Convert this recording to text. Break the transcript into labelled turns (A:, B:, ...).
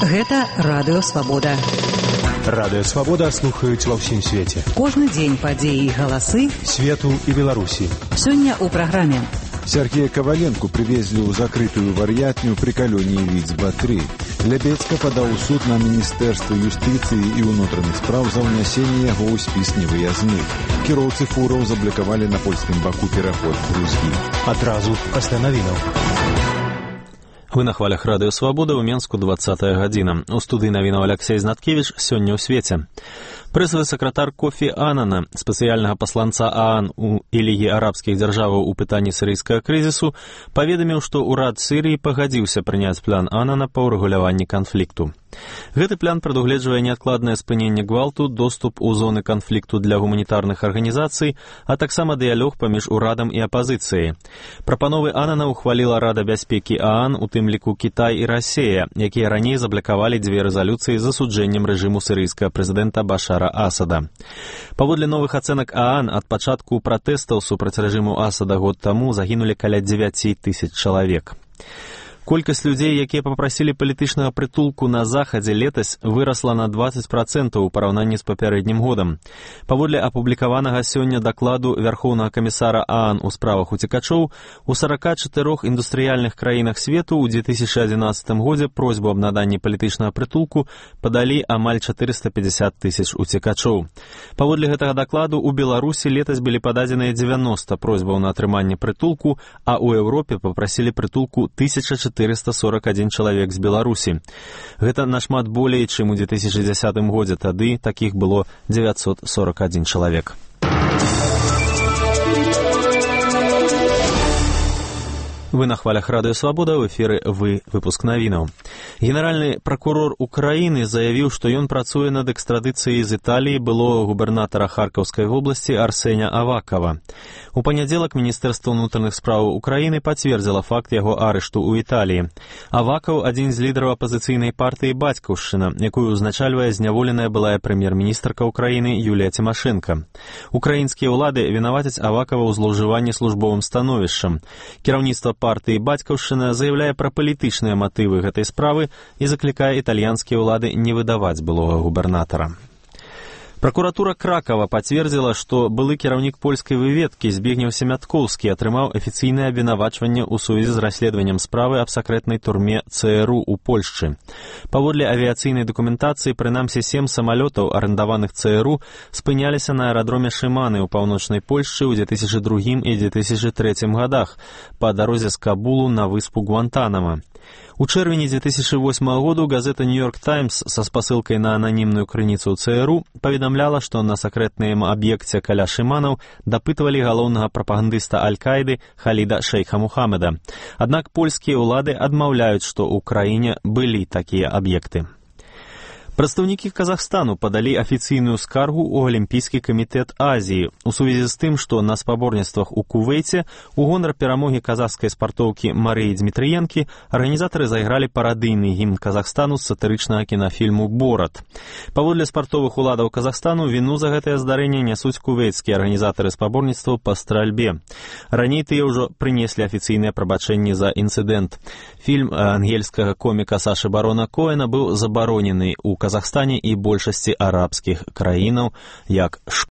A: Гэта Радыё Свабода.
B: Радыё Свабода слухаюць ва ўсім свеце.
A: Кожны дзень падзеі і галасы
B: свету і Беларусі.
A: Сёння ў праграме.
C: Сергея Коваленко привезли ў закрытую вар'ятню при калоніі Віцба-3. Лябедзька падаў у суд на Міністэрства юстыцыі і ўнутраных спраў за ўнясенне яго ў спіс невыязных. Кіроўцы фураў заблакавалі на польскім баку пераход Грузгі.
B: Адразу пасля навінаў.
D: Вы на хвалях Радыё Свабода, ў Менску 20-я гадзіна. У студыі навінаў Аляксей Знаткевіч, сёння ў свеце. Прэсавы сакратар Кофі Аннана, спецыяльнага пасланца ААН і Лігі арабскіх дзяржаваў у пытанні сірыйскага крызісу, паведаміў, што ўрад Сірыі пагадзіўся прыняць план Аннана па ўрэгуляванні канфлікту. Гэты план прадугледжвае неадкладнае спыненне гвалту, доступ у зоны канфлікту для гуманітарных арганізацый, а таксама дыялог паміж урадам і апазіцыяй. Прапановы Аннана ухваліла Рада бяспекі ААН, у тым ліку Кітай і Расія, якія раней заблакавалі дзве рэзалюцыі з засуджэннем рэжыму сірыйскага прэзідэнта Башара Асада. Паводле новых ацэнак ААН, ад пачатку пратэстаў супраць рэжыму Асада год таму загінулі каля 9 000 чалавек. Колькасць людзей, якія папрасілі палітычнага прытулку на захадзе летась, вырасла на 20% у параўнанні з папярэднім годам. Паводле апублікаванага сёння дакладу Вярхоўнага камісара ААН у справах уцекачоў, у 44 індустрыяльных краінах свету ў 2011 годзе просьбу аб наданні палітычнага прытулку падалі амаль 450 000 уцекачоў. Паводле гэтага дакладу у Беларусі летась былі пададзеныя 90 просьбаў на атрыманне прытулку, а ў Еўропе папрасілі прытулку 1441 чалавек з Беларусі. Гэта нашмат болей, чым у 2010 годзе, тады такіх было 941 чалавек. Вы на хвалях Радыё Свабода, ў эфіры выпуск навінаў. Генеральны пракурор Украіны заявіў, што ён працуе над экстрадыцыяй з Італіі былога губернатара Харкаўскай вобласці Арсеня Авакова. У панядзелак Міністэрства ўнутраных спраў Украіны пацвердзіла факт яго арышту ў Італіі. Авакаў — адзін з лідараў апазіцыйнай партыі «Бацькаўшчына», якую ўзначальвае зняволеная былая прэм'ер-міністрка Украіны Юлія Цімашэнка. Украінскія ўлады вінавацяць Авакава ў злоўжыванні службовым становішчам. Кіраўніцтва партыі «Бацькаўшчына» заяўляе пра палітычныя матывы гэтай справы і заклікае італьянскія ўлады не выдаваць былога губернатара. Пракуратура Кракава пацвердзіла, што былы кіраўнік польскай выведкі Збігнеў Семяткоўскі атрымаў афіцыйнае абвінавачванне ў сувязі з расследаваннем справы аб сакрэтнай турме ЦРУ ў Польшчы. Паводле авіяцыйнай дакументацыі, прынамсі 7 самалётаў, арендаваных ЦРУ, спыняліся на аэрадроме Шыманы ў паўночнай Польшчы ў 2002 і 2003 годах па дарозе з Кабулу на выспу Гуантанама. У чэрвені 2008 году газета «Нью-Йорк Таймс» са спасылкай на ананімную крыніцу ЦРУ паведамляла, што на сакрэтным аб'екце каля Шыманаў дапытвалі галоўнага прапагандыста Аль-Каіды Халіда Шейха Мухаммеда. Аднак польскія ўлады адмаўляюць, што ў краіне былі такія аб'екты. Прадстаўнікі Казахстану падалі афіцыйную скаргу ў Алімпійскі камітэт Азіі у сувязі з тым, што на спаборніцтвах у Кувейце у гонар перамогі казахскай спартоўкі Марыі Дзмітрыенкі арганізатары зайгралі парадыйны гімн Казахстану з сатырычнага кінафільму «Борат». Паводле спартовых уладаў Казахстану віну за гэтае здарэнне нясуць кувейцкія арганізатары спаборніцтваў па стральбе. Раней тыя ўжо прынеслі афіцыйныя прабачэнні за інцыдэнт. Фільм ангельскага коміка Сашы Барона Коэна быў забаронены ў Казахстане і большасці арабскіх краінаў як